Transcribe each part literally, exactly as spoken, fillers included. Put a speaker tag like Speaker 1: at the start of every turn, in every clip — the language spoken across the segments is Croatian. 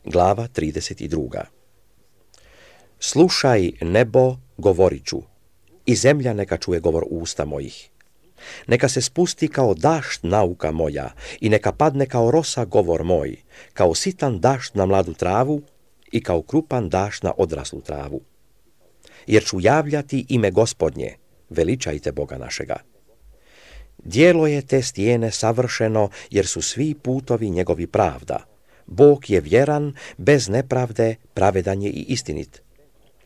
Speaker 1: Glava trideset dva. Slušaj, nebo, govorit ću, i zemlja neka čuje govor usta mojih. Neka se spusti kao dašt nauka moja i neka padne kao rosa govor moj, kao sitan dašt na mladu travu i kao krupan dašt na odraslu travu. Jer ću javljati ime Gospodnje, veličajte Boga našega. Djelo je te stijene savršeno, jer su svi putovi njegovi pravda. Bog je vjeran, bez nepravde, pravedan je i istinit.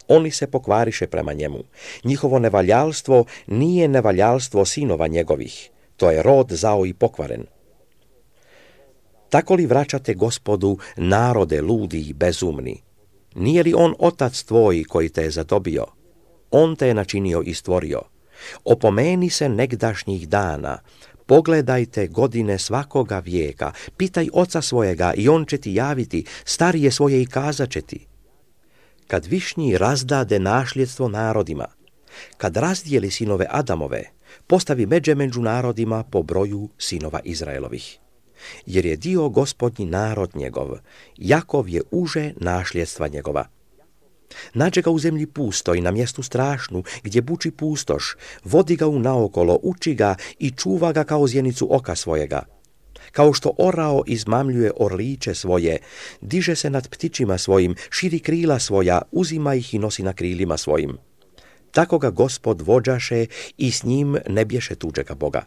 Speaker 1: Oni se pokvariše prema njemu. Njihovo nevaljalstvo nije nevaljalstvo sinova njegovih. To je rod zao i pokvaren. Tako li vraćate Gospodu narode ludi i bezumni? Nije li on otac tvoj koji te je zadobio? On te je načinio i stvorio. Opomeni se negdašnjih dana. Pogledajte godine svakoga vijeka. Pitaj oca svojega i on će ti javiti. Starije svoje i kazat će ti. Kad višnji razdade našljedstvo narodima, kad razdijeli sinove Adamove, postavi međe među narodima po broju sinova Izraelovih. Jer je dio Gospodnji narod njegov, Jakov je uže našljedstva njegova. Nađe ga u zemlji pusto i na mjestu strašnu, gdje buči pustoš, vodi ga u naokolo, uči ga i čuva ga kao zjenicu oka svojega. Kao što orao izmamljuje orliće svoje, diže se nad ptičima svojim, širi krila svoja, uzima ih i nosi na krilima svojim. Tako ga Gospod vođaše i s njim ne bješe tuđega Boga.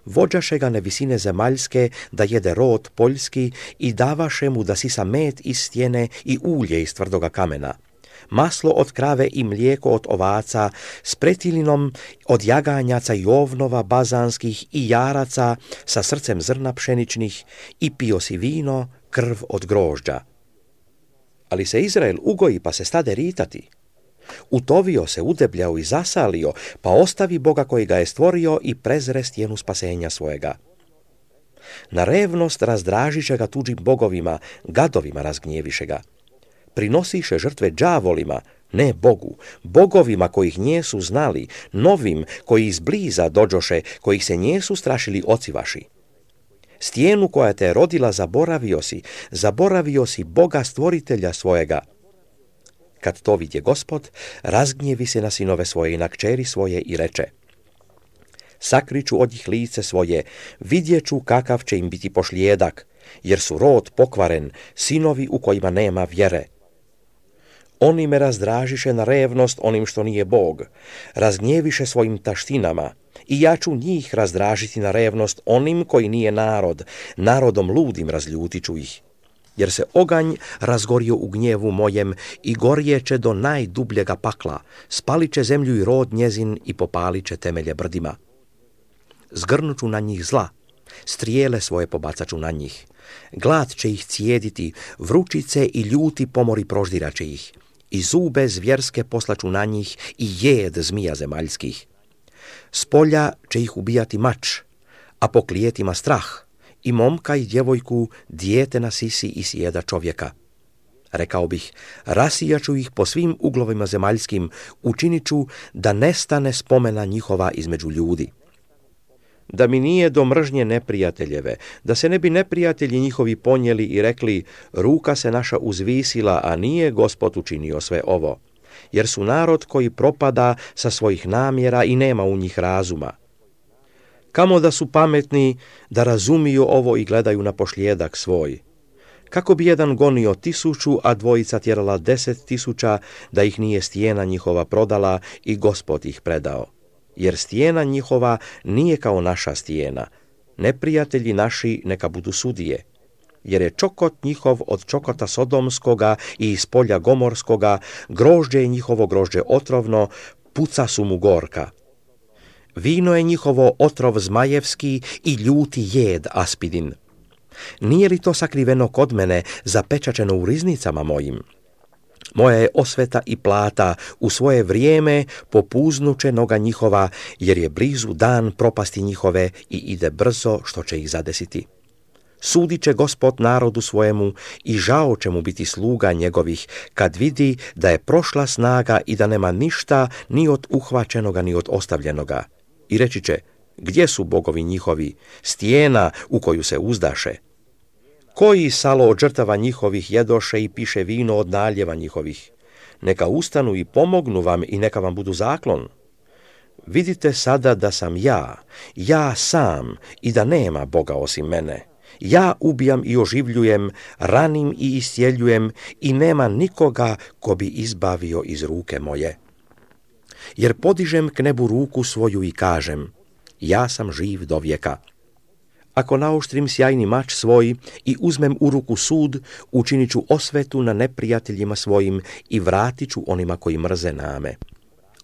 Speaker 1: Vođaše ga na visine zemaljske, da jede rod poljski i davaše mu da sisa med iz stjene i ulje iz tvrdoga kamena. Maslo od krave i mlijeko od ovaca, s pretilinom od jaganjaca i ovnova bazanskih i jaraca sa srcem zrna pšeničnih i pio si vino, krv od grožđa. Ali se Izrael ugoji pa se stade ritati. Utovio se, udebljao i zasalio, pa ostavi Boga koji ga je stvorio i prezre stjenu spasenja svojega. Na revnost razdražiše ga tuđim bogovima, gadovima razgnjeviše ga. Prinosiše žrtve đavolima, ne Bogu, bogovima kojih njesu znali, novim koji izbliza dođoše, kojih se njesu strašili oci vaši. Stijenu koja te je rodila zaboravio si, zaboravio si Boga stvoritelja svojega. Kad to vidje Gospod, razgnjevi se na sinove svoje i na kćeri svoje i reče: sakriću od njih lice svoje, vidjeću kakav će im biti pošlijedak, jer su rod pokvaren, sinovi u kojima nema vjere. Oni me razdražiše na revnost onim što nije Bog, razgnjeviše svojim taštinama, i ja ću njih razdražiti na revnost onim koji nije narod, narodom ludim razljutit ću ih. Jer se oganj razgorio u gnjevu mojem i gorjeće do najdubljega pakla, spalit će zemlju i rod njezin i popalit će temelje brdima. Zgrnuću na njih zla, strijele svoje pobacaću na njih. Glad će ih cijediti, vrućice i ljuti pomori proždiraće ih. I zube zvjerske poslaću na njih i jed zmija zemaljskih. S polja će ih ubijati mač, a po klijetima strah, i momka i djevojku dijete na sisi i sjeda čovjeka. Rekao bih, rasijaću ih po svim uglovima zemaljskim, učinit ću da nestane spomena njihova između ljudi. Da mi nije do mržnje neprijateljeve, da se ne bi neprijatelji njihovi ponijeli i rekli: ruka se naša uzvisila, a nije Gospod učinio sve ovo. Jer su narod koji propada sa svojih namjera i nema u njih razuma. Kamo da su pametni, da razumiju ovo i gledaju na pošlijedak svoj. Kako bi jedan gonio tisuću, a dvojica tjerala deset tisuća, da ih nije stijena njihova prodala i Gospod ih predao. Jer stijena njihova nije kao naša stijena. Neprijatelji naši neka budu sudije. Jer je čokot njihov od čokota sodomskoga i iz polja gomorskoga, grožđe je njihovo grožđe otrovno, puca su mu gorka. Vino je njihovo otrov zmajevski i ljuti jed aspidin. Nije li to sakriveno kod mene, zapečačeno u riznicama mojim? Moja je osveta i plata, u svoje vrijeme popuznuće noga njihova, jer je blizu dan propasti njihove i ide brzo što će ih zadesiti. Sudit će Gospod narodu svojemu i žao će mu biti sluga njegovih, kad vidi da je prošla snaga i da nema ništa ni od uhvaćenoga ni od ostavljenoga. I reći će: gdje su bogovi njihovi, stijena u koju se uzdaše? Koji salo od žrtava njihovih jedoše i piše vino od naljeva njihovih? Neka ustanu i pomognu vam i neka vam budu zaklon. Vidite sada da sam ja, ja sam i da nema Boga osim mene. Ja ubijam i oživljujem, ranim i iscijeljujem i nema nikoga ko bi izbavio iz ruke moje. Jer podižem k nebu ruku svoju i kažem, ja sam živ do vijeka. Ako naoštrim sjajni mač svoj i uzmem u ruku sud, učinit ću osvetu na neprijateljima svojim i vratit ću onima koji mrze name.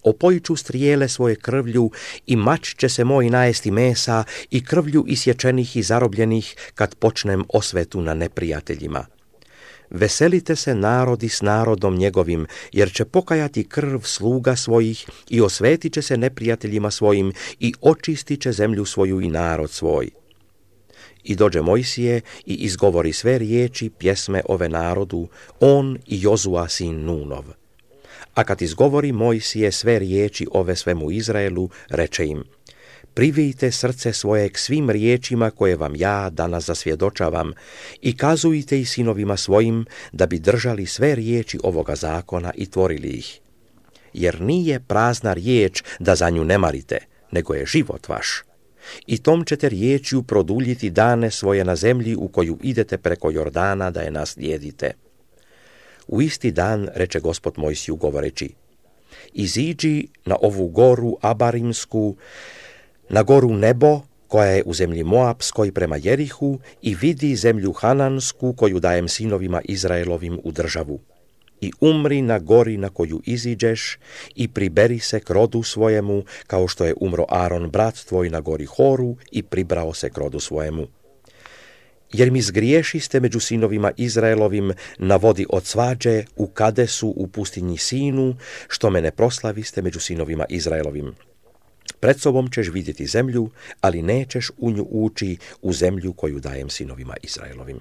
Speaker 1: Opojit ću strijele svoje krvlju i mač će se moj najesti mesa i krvlju isječenih i zarobljenih kad počnem osvetu na neprijateljima. Veselite se narodi s narodom njegovim, jer će pokajati krv sluga svojih i osvetit će se neprijateljima svojim i očistit će zemlju svoju i narod svoj. I dođe Mojsije i izgovori sve riječi pjesme ove narodu, on i Jozua sin Nunov. A kad izgovori Mojsije sve riječi ove svemu Izraelu, reče im, privijte srce svoje k svim riječima koje vam ja danas zasvjedočavam i kazujte i sinovima svojim da bi držali sve riječi ovoga zakona i tvorili ih. Jer nije prazna riječ da za nju ne marite, nego je život vaš. I tom ćete riječju produljiti dane svoje na zemlji u koju idete preko Jordana da je naslijedite. U isti dan reče Gospod Mojsiju govoreći, iziđi na ovu goru Abarimsku, na goru Nebo, koja je u zemlji Moapskoj prema Jerihu, i vidi zemlju Hanansku koju dajem sinovima Izraelovim u državu. I umri na gori na koju iziđeš i priberi se k rodu svojemu, kao što je umro Aron brat tvoj na gori Horu i pribrao se k rodu svojemu. Jer mi zgriješiste među sinovima Izraelovim na vodi od svađe u Kadesu u pustinji Sinu, što me ne proslaviste među sinovima Izraelovim. Pred sobom ćeš vidjeti zemlju, ali nećeš u nju ući, u zemlju koju dajem sinovima Izraelovim.